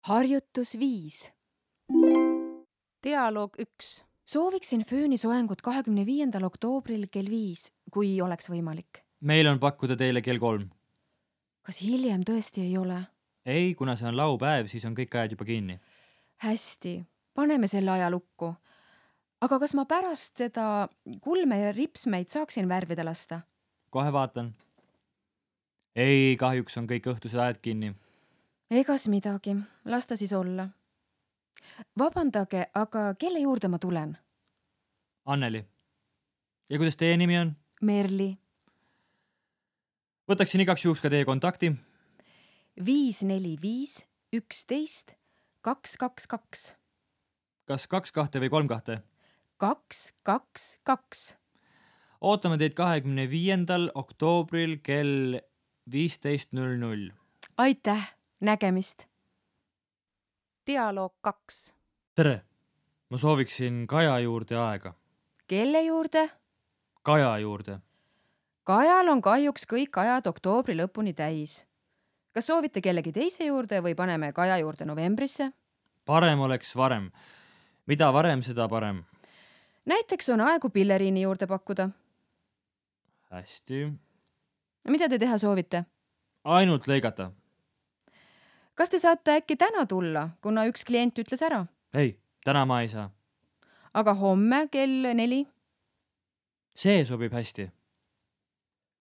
Harjutus 5. Dialoog 1. Sooviksin föönisoengut 25. oktoobril kell 5, kui oleks võimalik. Meil on pakkuda teile kell 3. Kas hiljem tõesti ei ole? Ei, kuna see on laupäev, siis on kõik ajad juba kinni. Hästi, paneme selle aja lukku. Aga kas ma pärast seda kulme ja ripsmeid saaksin värvida lasta? Kohe vaatan. Ei, kahjuks on kõik õhtused ajad kinni. Egas midagi, las ta siis olla. Vabandage, aga kelle juurde ma tulen? Anneli. Ja kuidas teie nimi on? Merli. Võtaksin igaks juhuks ka teie kontakti. 545 11 222. Kas 2 või 3? 222. Ootame teid 25. oktoobril kell 15.00. Aitäh, nägemist. Dialoog 2. Tere! Ma sooviksin Kaja juurde aega. Kelle juurde? Kaja juurde. Kajal on kahjuks kõik ajad oktoobri lõpuni täis. Kas soovite kellegi teise juurde või paneme Kaja juurde novembrisse? Parem oleks varem. Mida varem, seda parem. Näiteks on aegu pilleriini juurde pakkuda. Hästi. Mida te teha soovite? Ainult lõigata. Kas te saate äkki täna tulla, kuna üks klient ütles ära? Ei, täna ma ei saa. Aga homme kell 4? See sobib hästi.